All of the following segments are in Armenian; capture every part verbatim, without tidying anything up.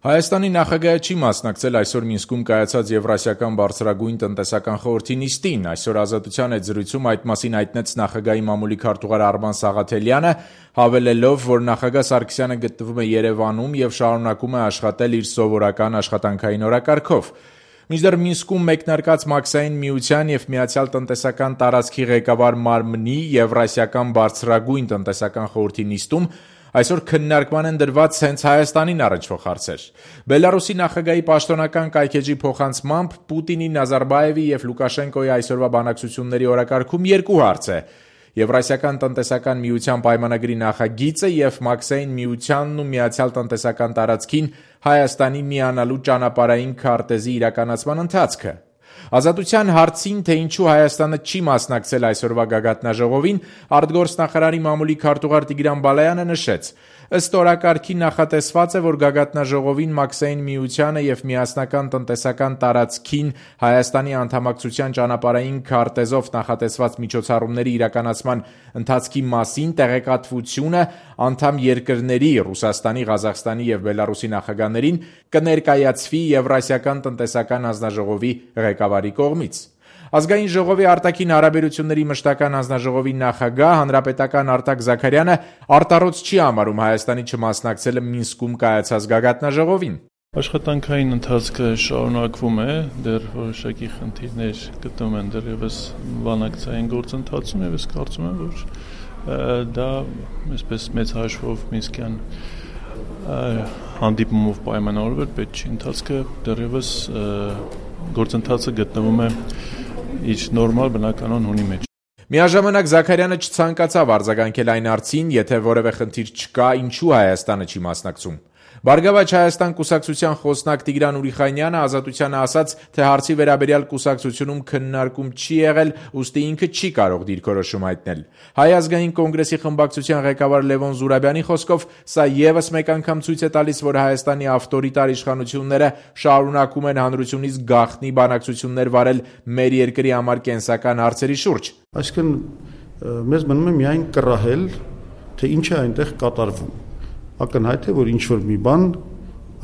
Հայաստանի նախագահը չի մասնակցել այսօր Մինսկում կայացած Եվրասիական բարձրագույն տնտեսական խորհրդի նիստին։ Այսօր Ազատության հետ զրույցում այդ մասին հայտնեց նախագահի մամուլի քարտուղար Արման Սաղաթելյանը, հավելելով, որ նախագահ Սարգսյանը գտնվում է Երևանում եւ շարունակում է աշխատել իր սովորական աշխատանքային օրակարգով։ Մինչդեռ Մինսկում մեկնարկած Մաքսային միության եւ Միացյալ տնտեսական տարածքի ղեկավար մարմնի Եվրասիական բարձրագույն տնտեսական խորհրդի նիստում այսօր քննարկման են դրված հենց Հայաստանին առնչվող հարցեր։ Բելարուսի նախագահի պաշտոնական կայքեջի փոխանցմամբ Պուտինի, Նազարբաևի եւ Լուկաշենկոյի այսօրվա բանակցությունների օրակարգում երկու հարց է. Եվրասիական տնտեսական միության պայմանագրի նախագիծը եւ Մաքսային միությանն ու Միացյալ տնտեսական տարածքին Հայաստանի միանալու ճանապարհային քարտեզի իրականացման ընթացքը։ Ազատության հարցին, թե ինչու Հայաստանը չի մասնակցել այսօրվա գագաթնաժողովին, արտգործնախարարի մամուլի քարտուղար Տիգրան Բալայանը նշեց. ըստ օրակարգի նախատեսված է, որ գագաթնաժողովին Մաքսային միությանը եւ միասնական տնտեսական տարածքին Հայաստանի անդամակցության ճանապարհային քարտեզով նախատեսված միջոցառումների իրականացման ընթացքի մասին տեղեկատվությունը անդամ երկրների Ռուսաստանի, Ղազախստանի եւ Բելարուսի նախագահներին կներկայացվի Եվրասիական տնտեսական հանձնաժողովի ղեկավարի կողմից։ Ազգային ժողովի արտաքին հարաբերությունների մշտական հանձնաժողովի նախագահ հանրապետական Արտակ Զաքարյանը արտառոց չի համարում Հայաստանի չմասնակցելը Մինսկում կայացած գագաթնաժողովին։ Աշխատանքային ընթացքը շարունակվում է, դեռ որոշակի խնդիրներ գտնվում են դեռևս բանակցային գործընթացում եւ ես կարծում եմ, որ դա այսպես մեծ հաշվով Մինսկյան հանդիպումով պայմանավորվել պետք չի, ընթացքը դեռևս գործընթացը գտնվում է իր նորմալ բնականon հունի մեջ։ Միաժամանակ Զաքարյանը չցանկացավ արձագանքել այն հարցին, եթե որևէ խնդիր չկա, ինչու Հայաստանը չի մասնակցում։ Բարգավաճ Հայաստան կուսակցության խոսնակ Տիգրան Ուրիխանյանը Ազատությանը ասաց, թե հարցի վերաբերյալ կուսակցությունում քննարկում չի եղել, ուստի ինքը չի կարող դիրքորոշում հայտնել։ Հայ ազգային կոնգրեսի խմբակցության ղեկավար Լևոն Զուրաբյանի խոսքով սա եւս մեկ անգամ ցույց է տալիս, որ Հայաստանի ավտորիտար իշխանությունները շարունակում են հանրությունից գաղտնի բանակցություններ վարել մեր երկրի համար կենսական հարցերի շուրջ։ Այսինքն մեզ մնում է միայն կռահել, թե ինչ է այնտեղ կատարվում։ Ակնհայտ է, որ ինչ-որ մի բան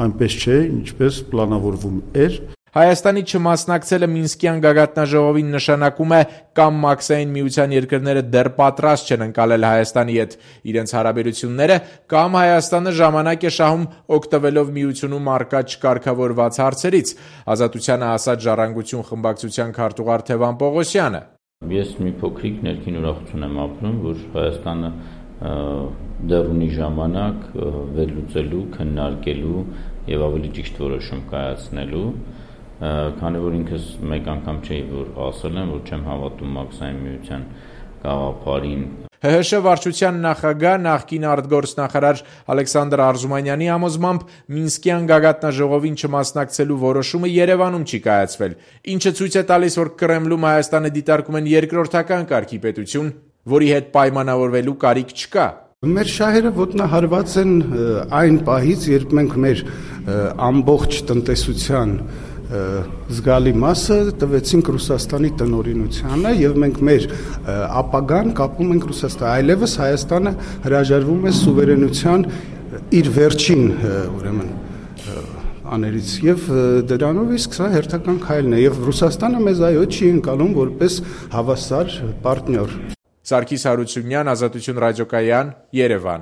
այնպես չէ, ինչպես պլանավորվում էր։ Հայաստանի չմասնակցելը Մինսկյան գագաթնաժողովին նշանակում է կամ Մաքսային միության երկրները դեռ պատրաստ չեն ընկալել Հայաստանի հետ իրենց հարաբերությունները, կամ Հայաստանը ժամանակ է շահում օգտվելով միությունում առկա չկարգավորված հարցերից, Ազատությանը ասաց Ժառանգություն խմբակցության քարտուղար Թևան Պողոսյանը։ Ես մի փոքրիկ ներքին ուրախություն եմ ապրում, որ Հայաստանը դեռ ունի ժամանակ վերլուծելու, քննարկելու եւ ավելի ճիշտ որոշում կայացնելու, քանի որ ինքս մեկ անգամ չէի որ ասել եմ, որ չեմ հավատում Մաքսային միության գաղափարին։ ՀՀՇ վարչության նախագահ նախկին արտգործնախարար Ալեքսանդր Արզումանյանի համոզմամբ Մինսկյան գագաթնաժողովին չմասնակցելու որոշումը Երևանում չի կայացվել, ինչը ցույց է տալիս, որ Կրեմլում Հայաստանը դիտարկում են երկրորդական կարգի պետություն, որի հետ պայմանավորվելու կարիք չկա։ Մեր շահերը ոտնահարված են այն պահից, երբ մենք մեր ամբողջ տնտեսության զգալի մասը տվեցինք Ռուսաստանի տնօրինությանը եւ մենք մեր ապագան կապում ենք Ռուսաստանի, այլևս Հայաստանը հրաժարվում է սուվերենության իր վերջին ուրեմն աներից եւ դրանով իսկ սա հերթական քայլն է եւ Ռուսաստանը մեզ այո չի ընկալում որպես հավասար պարտներ։ Սարգիս Հարությունյան, Ազատություն ռադիոկայան, Երևան։